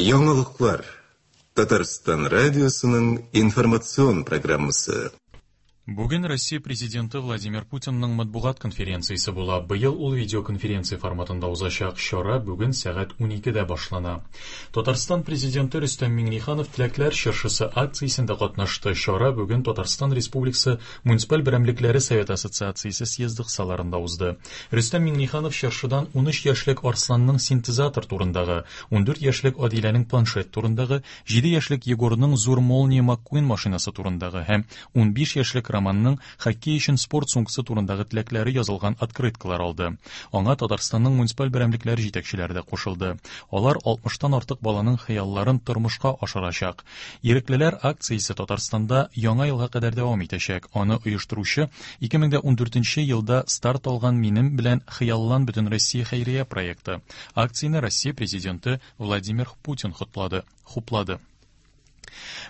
Яңалыклар. Татарстан радиосының информацион программасы. Бүген Россия Президенты Владимир Путинның матбугат конференциясе була. Быел ул видеоконференция форматында узачак. Чара бүген сәгать 12-дә башлана. Татарстан Президенты Рөстәм Миңнеханов Теләкләр чыршысы акциясендә катнашты. Чара бүген Татарстан Республикасы Муниципаль берәмлекләре Советы Ассоциациясе съезды кысаларында узды. Рөстәм Миңнеханов чыршыдан 13 яшьлек Арсланның синтезатор турындагы, 14 яшьлек Адиләнең планшет турындагы, 7 яшьлек Егорның зур Молния Маккуин машинасы турындагы һәм 15 яшьлек Романның хоккей өчен спорт сумкасы турындагы теләкләре язылган открыткалар алды. Аңа Татарстанның муниципаль берәмлекләре җитәкчеләре дә кушылды. Алар 60-тан артык баланың хыялларын тормышка ашырачак. Иреклеләр акциясе Татарстанда Яңа елга кадәр дәвам итәчәк. Аны оештыручы 2014 елда старт алган Минем белән хыяллан Бөтенроссия хәйрия проекты. Акцияне Россия Президенты Владимир Путин хуплады. Хуплады.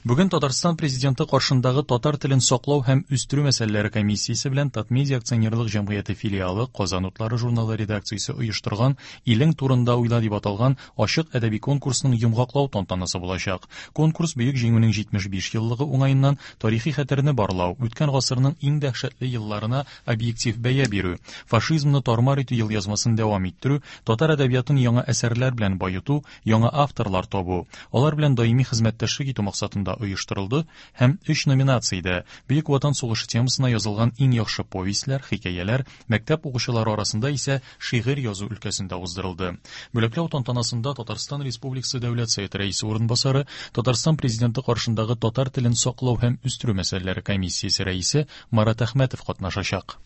Бүген Татарстан Президенты каршындагы татар телен саклау һәм үстерү мәсьәләләре комиссиясе белән Татмедиа акционерлык җәмгыяте филиалы Казан утлары журналы редакциясе оештырган Илең турында уйла дип аталган ачык әдәби конкурсның йомгаклау тантанасы булачак. Конкурс Бөек Җиңүнең 75 еллыгы уңаеннан тарихи хәтерне барлау, үткән гасырның иң дәһшәтле елларына объектив бәя бирү, фашизмны тар-мар итү елъязмасын дәвам иттерү, татар әдәбиятын яңа әсәрләр белән баету, яңа авторлар табу, алар белән даими хезмәттәшлек итү максатында оештырылды һәм өч номинациядә, Бөек Ватан сугышы темасына язылган иң яхшы повестьләр, хикәяләр, мәктәп укучылары арасында исә шигырь язу өлкәсендә уздырылды. Бүләкләү тантанасында Татарстан Республикасы Дәүләт Советы Рәисе урынбасары, Татарстан Президенты каршындагы татар телен саклау һәм үстерү мәсьәләләре комиссиясе рәисе Марат Әхмәтов катнашачак.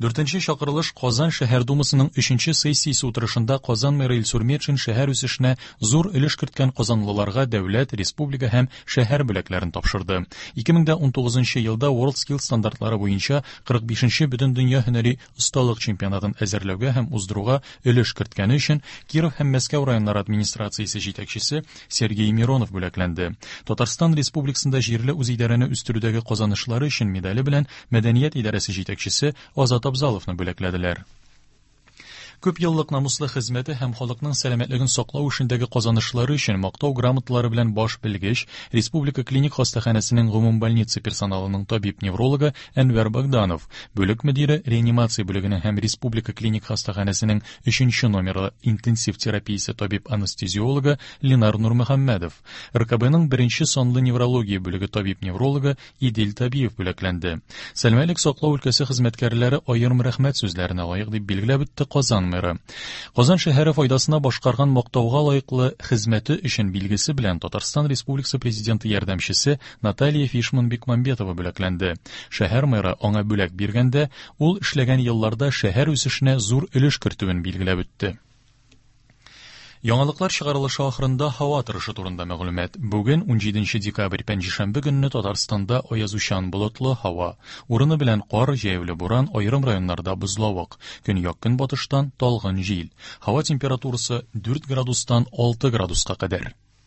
Дүртенче чакырылыш Казан шәһәр думасының өченче сессиясе утырышында Казан мэры Илсур Метшин шәһәр үсешенә зур өлеш керткән казанлыларга дәүләт, республика һәм шәһәр бүләкләрен тапшырды. 2019 елда WorldSkills стандартлары буенча 45 нче Бөтендөнья һөнәри осталык чемпионатын әзерләүгә һәм уздыруга өлеш керткәне өчен Киров һәм Мәскәү районнары администрациясе җитәкчесе Сергей Миронов бүләкләнде. Татарстан Республикасында җирле үзидарәне үстерүдәге казанышлары өчен медале белән Мәдәният идарәсе җитәкчесе Азат Абзаловны бүләкләделәр. Күп еллык намуслы хезмәте һәм халыкның сәламәтлеген саклау эшендәге казанышлары өчен мактау грамоталары белән баш белгеч, Республика клиник хастаханәсенең гомумбольница персоналының табиб-неврологы Әнвәр Богданов, бүлек мөдире, реанимация бүлегенең һәм Республика клиник хастаханәсенең өченче номерлы интенсив терапиясе табиб-анестезиологы Ленар Нурмөхәммәдов, РКБның беренче санлы неврология бүлеге табиб-неврологы Идел Табиев бүләкләнде. Сәламәтлек саклау өлкәсе хезмәткәрләре аерым рәхмәт сүзләренә лаек, дип билгеләп үтте Казан мэры. Казан шәһәре файдасына башкарган мактауга лаеклы хезмәте өчен билгесе белән Татарстан Республикасы Президенты ярдәмчесе Наталья Фишман-Бекмамбетова бүләкләнде. Шәһәр мэры аңа бүләк биргәндә, ул эшләгән елларда шәһәр үсешенә зур өлеш кертүен билгеләп үтте. Яңалыклар чыгарылышы ахырында һава торышы турында мәгълүмат. Бүген, 17 декабрь, пәнҗешәмбе көнне Татарстанда аязучан болытлы һава. Урыны белән кар, җәяүле буран, аерым районнарда бозлавык. Көньяк-көнбатыштан талгын җил. Һава температурасы 4 градустан 6 градуска кадәр.